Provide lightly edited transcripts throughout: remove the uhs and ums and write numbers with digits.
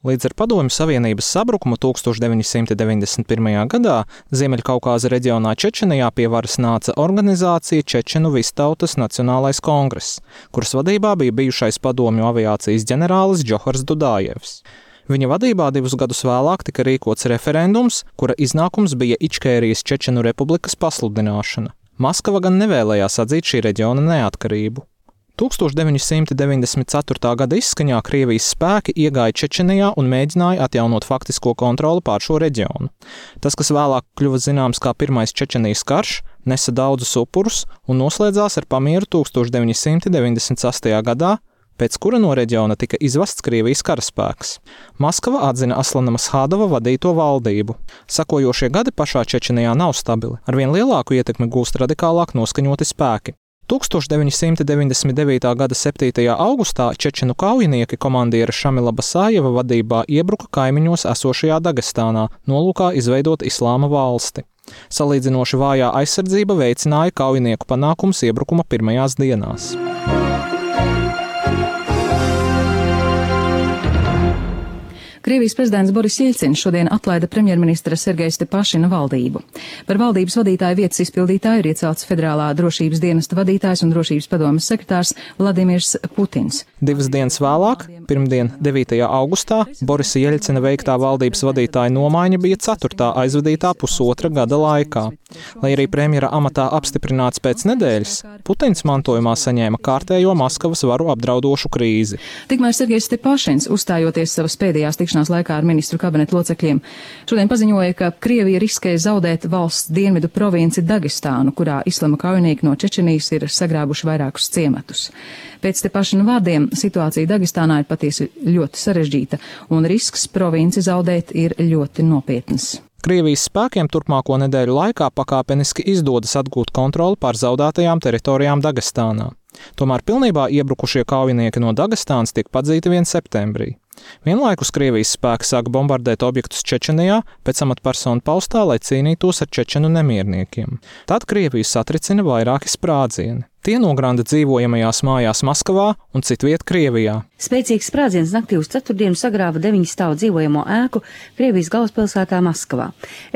Līdz ar Padomju Savienības sabrukumu 1991. gadā Ziemeļkaukāza reģionā Čečenijā pie varas nāca organizācija Čečenu Vistautas Nacionālais kongress, kuras vadībā bija bijušais padomju aviācijas ģenerālis Džohars Dudājevs. Viņa vadībā 2 gadus vēlāk tika rīkots referendums, kura iznākums bija Ičkērijas Čečenu republikas pasludināšana. Maskava gan nevēlējās atzīt šī reģiona neatkarību. 1994. gada izskaņā Krievijas spēki iegāja Čečenijā un mēģināja atjaunot faktisko kontroli pār šo reģionu. Tas, kas vēlāk kļuva zināms kā Pirmais Čečenijas karš, nesa daudzus upurus un noslēdzās ar pamieru 1998. gadā, pēc kura no reģiona tika izvests Krievijas karaspēks. Maskava atzina Aslana Mashādova vadīto valdību. Sakojošie gadi pašā Čečenijā nav stabili. Arvien lielāku ietekmi gūst radikālāk noskaņoti spēki. 1999. gada 7. augustā čečenu kaujinieki komandiera Šamila Basājeva vadībā iebruka kaimiņos esošajā Dagestānā, nolūkā izveidot islāma valsti. Salīdzinoši vājā aizsardzība veicināja kaujinieku panākumus iebrukuma pirmajās dienās. Krievijas prezidents Boris Jeļcins šodien atlaida premjerministra Sergeja Stepašina valdību. Par valdības vadītāja vietas izpildītāju ir iecelts Federālā drošības dienesta vadītājs un drošības padomes sekretārs Vladimirs Putins. 2 dienas vēlāk, pirmdien 9. augustā, Borisa Jeļcina veiktā valdības vadītāja nomaiņa bija 4. aizvadītā pusotra gada laikā. Lai arī premjera amatā apstiprināts pēc nedēļas, Putins mantojumā saņēma kārtējo Maskavas varu apdraudošu krīzi. Tikmēr Sergejs Stepašins, uzstājoties savas pēdējās tikšanās laikā ar ministru kabinetu locekļiem, šodien paziņoja, ka Krievija riskē zaudēt valsts dienvidu provinci Dagestānu, kurā islama kaujinieki no Čečenijas ir sagrābuši vairākus ciematus. Pēc Stepašina vārdiem situācija Dagestānā ir patiesi ļoti sarežģīta, un risks provinci zaudēt ir ļoti nopietns. Krievijas spēkiem turpmāko nedēļu laikā pakāpeniski izdodas atgūt kontroli pār zaudētajām teritorijām Dagestānā. Tomēr pilnībā iebrukušie kaujinieki no Dagestānas tiek padzīti vien septembrī. Vienlaikus Krievijas spēki sāk bombardēt objektus Čečenijā pēc amatpersonu paustā, lai cīnītos ar čečenu nemierniekiem. Tad Krieviju satricina vairāki sprādzieni. Tie nogranda dzīvojamajās mājās Maskavā un citviet Krievijā. Spēcīgs sprādziens naktī uz ceturtdienu sagrāva 9 stāvu dzīvojamo ēku Krievijas galvaspilsētā Maskavā.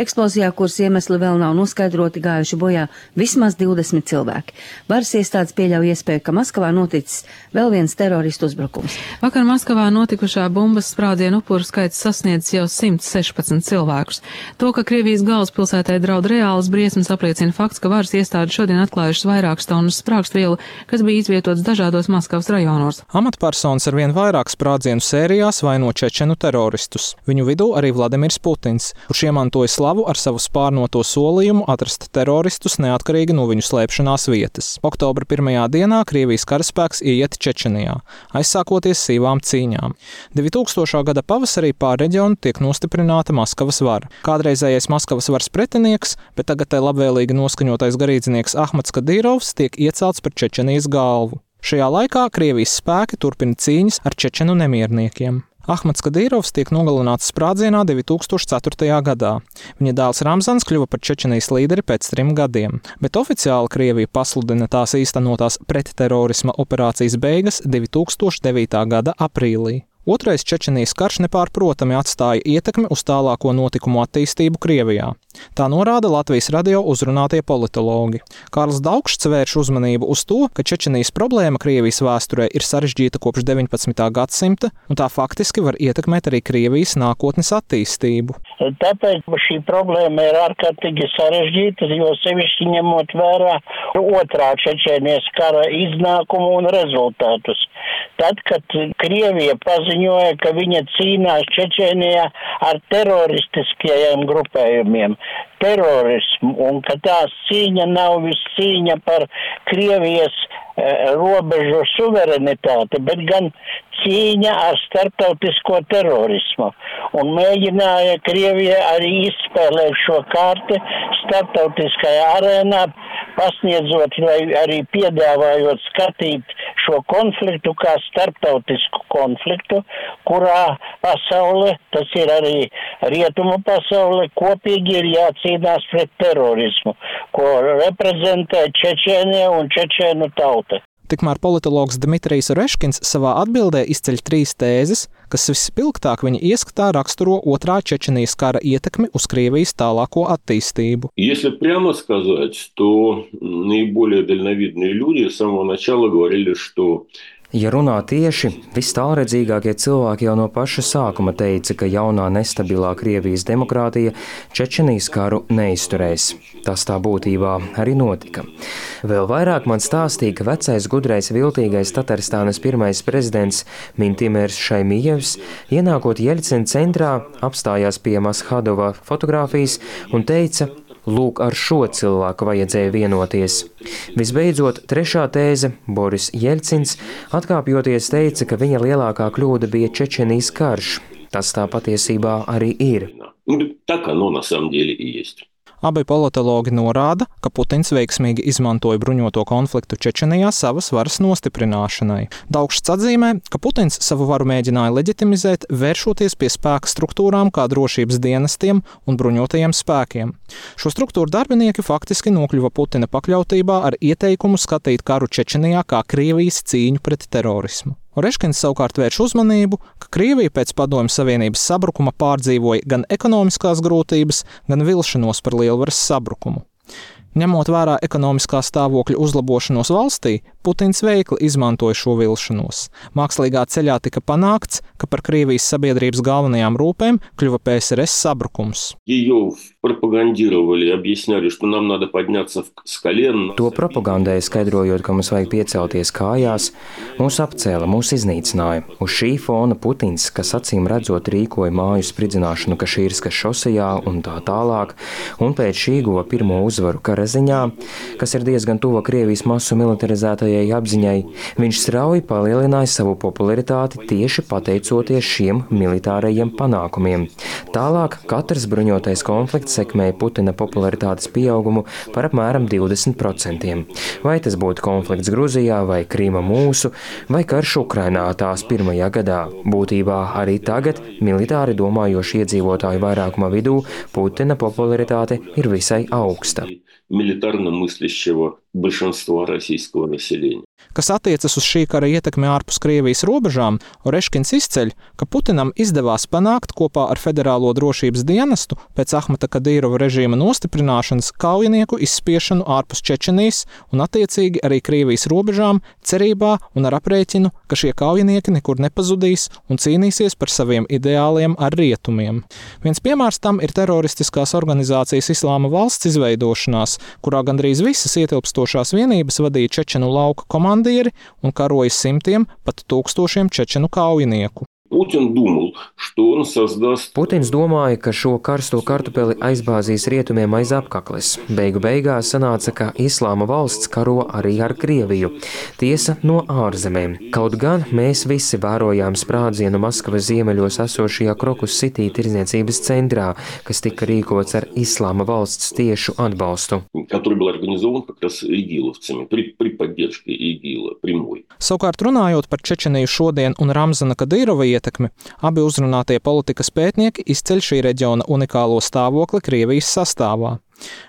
Eksplozijā, kuras iemesli vēl nav noskaidroti, gājuši bojā vismaz 20 cilvēki. Varas iestādes pieļauj iespēju, ka Maskavā noticis vēl viens teroristu uzbrukums. Vakar Maskavā notikušā bumbas sprādzienu upuru skaits sasniedz jau 116 cilvēkus. To, ka Krievijas galvaspilsētai draud reālas briesmas, apliecina fakts, ka varas iestādes šodien atklājušas vairākas tonnas sprāgstvielu, kas bija izvietots dažādos Maskavas rajonos. Amatpersonas ar vien vairāk sprādzienu sērijās vaino čečenu teroristus. Viņu vidū arī Vladimirs Putins, kurš iemantoja slavu ar savu spārnoto solījumu atrast teroristus neatkarīgi no viņu slēpšanās vietas. Oktobra 1. dienā Krievijas karaspēks ieiet Čečenijā, aizsākoties sīvām cīņām. 2000. gada pavasarī pār reģionu tiek nostiprināta Maskavas vara. Kādreizējais Maskavas varas pretinieks, bet tagad tai labvēlīgi noskaņotais garīdznieks Ahmads Kadīrovs tiek iecelts par Čečenijas galvu. Šajā laikā Krievijas spēki turpina cīņas ar čečenu nemierniekiem. Ahmads Kadīrovs tiek nogalināts sprādzienā 2004. gadā. Viņa dēls Ramzans kļuva par Čečenijas līderi pēc 3 gadiem, bet oficiāli Krievija pasludina tās īstenotās pretterorisma operācijas beigas 2009. gada aprīlī. Otrais Čečenijas karš nepārprotami atstāja ietekmi uz tālāko notikumu attīstību Krievijā. Tā norāda Latvijas radio uzrunātie politologi. Kārlis Daugšs vērš uzmanību uz to, ka Čečenijas problēma Krievijas vēsturē ir sarežģīta kopš 19. gadsimta, un tā faktiski var ietekmēt arī Krievijas nākotnes attīstību. Tāpēc šī problēma ir ārkārtīgi sarežģīta, jo sevišķi ņemot vērā otrā Čečenijas kara iznākumu un rezultātus. Tad, kad Krievija paziņoja, ka viņa cīnās Čečenijā ar teroristiskajiem grupējumiem, terorismu, un ka tās cīņa nav viss cīņa par Krievijas robežu suverenitāti, bet gan cīņa ar starptautisko terorismu. Un mēģināja Krievija arī izspēlēt šo kārti starptautiskajā arēnā, pasniedzot vai arī piedāvājot skatīt šo konfliktu kā starptautisku konfliktu, kurā pasaule, tas ir arī rietumu pasaule, kopīgi ir jācīnās pret terorismu, ko reprezentē Čečēnija un čečēnu tauta. Tikmēr politologs Dmitrijs Reškins savā atbildē izceļ 3 tēzes, kas vispilgtāk viņa ieskatā raksturo otrā Čečenijas kara ietekmi uz Krievijas tālāko attīstību. Если прямо сказать, то наиболее дальновидные люди с самого начала говорили, что Ja runā tieši, vistālredzīgākie cilvēki jau no paša sākuma teica, ka jaunā nestabilā Krievijas demokrātija Čečenijas karu neizturēs. Tas tā būtībā arī notika. Vēl vairāk man stāstīja, ka vecais gudrais viltīgais Tatarstānas pirmais prezidents Mintimers Šaimijevs, ienākot Jeļcina centrā, apstājās pie Mashadova fotogrāfijas un teica: lūk, ar šo cilvēku vajadzēja vienoties. Visbeidzot, trešā tēze, Boris Jeļcins, atkāpjoties teica, ka viņa lielākā kļūda bija Čečenijas karš. Tas tā patiesībā arī ir. Так оно на самом деле и есть. Abi politologi norāda, ka Putins veiksmīgi izmantoja bruņoto konfliktu Čečenijā savas varas nostiprināšanai. Daugšs atzīmē, ka Putins savu varu mēģināja leģitimizēt, vēršoties pie spēka struktūrām kā drošības dienestiem un bruņotajiem spēkiem. Šo struktūru darbinieki faktiski nokļuva Putina pakļautībā ar ieteikumu skatīt karu Čečenijā kā Krievijas cīņu pret terorismu. Oreškins savukārt vērš uzmanību, ka Krievija pēc Padomju Savienības sabrukuma pārdzīvoja gan ekonomiskās grūtības, gan vilšanos par lielvaras sabrukumu. Ņemot vērā ekonomiskā stāvokļa uzlabošanos valstī, Putins veikli izmantoja šo vilšanos. Mākslīgā ceļā tika panākts, ka par Krievijas sabiedrības galvenajām rūpēm kļuva PSRS sabrukums. To propagandēja, skaidrojot, ka mums vajag piecelties kājās, mūs apcēla, mūs iznīcināja. Uz šī fona Putins, kas acīm redzot rīkoja māju spridzināšanu Kašīrskas šosejā un tā tālāk, un pēc šī guva pirmo uzvaru karaziņā, kas ir diezgan tuva Krievijas masu militarizētajai apziņai, viņš strauji palielināja savu popularitāti tieši pateicoties šiem militārajiem panākumiem. Tālāk katrs bruņotais konflikts sekmēja Putina popularitātes pieaugumu par apmēram 20%. Vai tas būtu konflikts Gruzijā, vai Krīma mūsu, vai karš Ukrainā tās pirmajā gadā. Būtībā arī tagad militāri domājoši iedzīvotāju vairākuma vidū Putina popularitāte ir visai augsta. Милитарно мыслящего большинства российского населения. Kas attiecas uz šī kara ietekmi ārpus Krievijas robežām, Oreškins izceļ, ka Putinam izdevās panākt kopā ar Federālo drošības dienestu pēc Ahmata Kadīrova režīma nostiprināšanas kaujinieku izspiešanu ārpus Čečenijas un attiecīgi arī Krievijas robežām, cerībā un ar aprēķinu, ka šie kaujinieki nekur nepazudīs un cīnīsies par saviem ideāliem ar rietumiem. Viens piemērs tam ir teroristiskās organizācijas Islāma valsts izveidošanās, kurā gandrīz visas ietilpstošās vienības vadīja čečenu lauka komandieri un karoja simtiem, pat tūkstošiem čečenu kaujinieku. Putins domāja, ka šo karsto kartupeli aizbāzīs rietumiem aiz apkakles. Beigu beigās sanāca, ka Islāma valsts karo arī ar Krieviju. Tiesa no ārzemēm. Kaut gan mēs visi vērojām sprādzienu Maskavas ziemeļos esošajā Krokus City tirdzniecības centrā, kas tika rīkots ar Islāma valsts tiešu atbalstu. Savukārt runājot par Čečeniju šodien un Ramzana Kadīrova ietekmi, abi uzrunātie politikas pētnieki izceļ šī reģiona unikālo stāvokli Krievijas sastāvā.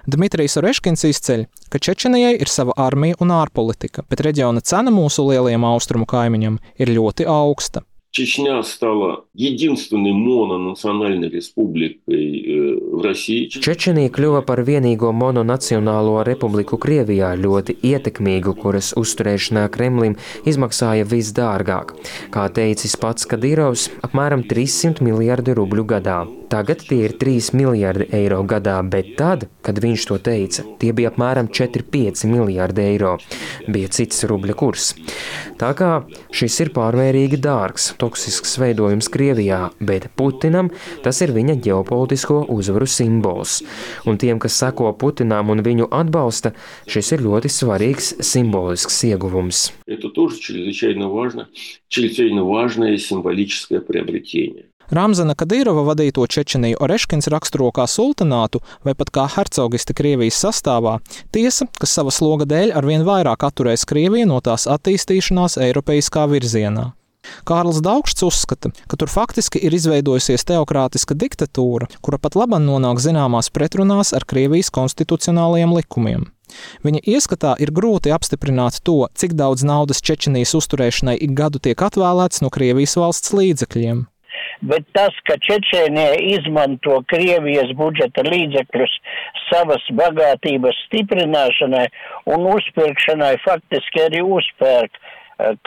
Dmitrijs Oreškins izceļ, ka Čečenijai ir sava armija un ārpolitika, bet reģiona cena mūsu lielajiem austrumu kaimiņam ir ļoti augsta. Чечня стала единственной мононациональной республикой в России. Čečenija kļuva par vienīgo mononacionālo republiku Krievijā, ļoti ietekmīgu, kuras uzturēšanā Kremlim izmaksāja visdārgāk. Kā teicis pats Kadīrovs, apmēram 300 miljardi rubļu gadā. Tagad tie ir 3 miljardi eiro gadā, bet tad, kad viņš to teica, tie bija apmēram 4-5 miljardi eiro. Bija cits rubļa kurs. Tā kā šis ir pārmērīgi dārgs, toksisks veidojums Krievijā, bet Putinam tas ir viņa ģeopolitisko uzvaru simbols. Un tiem, kas seko Putinam un viņu atbalsta, šis ir ļoti svarīgs simbolisks ieguvums. Это тоже чрезвычайно важное символическое приобретение. Ramzana Kadīrova vadīto Čečeniju Oreškins raksturo kā sultanātu vai pat kā hercogisti Krievijas sastāvā, tiesa, kas sava sloga dēļ arvien vairāk atturēs Krieviju no tās attīstīšanās eiropeiskā virzienā. Kārlis Daugšs uzskata, ka tur faktiski ir izveidojusies teokrātiska diktatūra, kura pat labam nonāk zināmās pretrunās ar Krievijas konstitucionālajiem likumiem. Viņa ieskatā ir grūti apstiprināt to, cik daudz naudas Čečenijas uzturēšanai ik gadu tiek atvēlēts no Krievijas valsts līdzekļiem. bet tas, ka Čečēnija izmanto Krievijas budžeta līdzekļus savas bagātības stiprināšanai un uzpirkšanai, faktiski arī uzpērk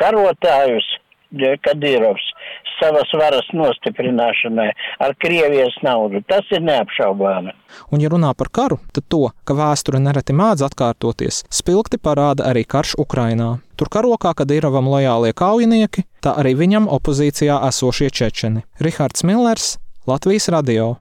karotājus, Kadirovs, savas varas nostiprināšanai ar Krievijas naudu. Tas ir neapšaubāmi. Un ja runā par karu, tad to, ka vēsture nereti mēdz atkārtoties, spilgti parāda arī karš Ukrainā. Tur karo kā Kadirovam lojālie kaujinieki, tā arī viņam opozīcijā esošie čečeni. Rihards Millers, Latvijas radio.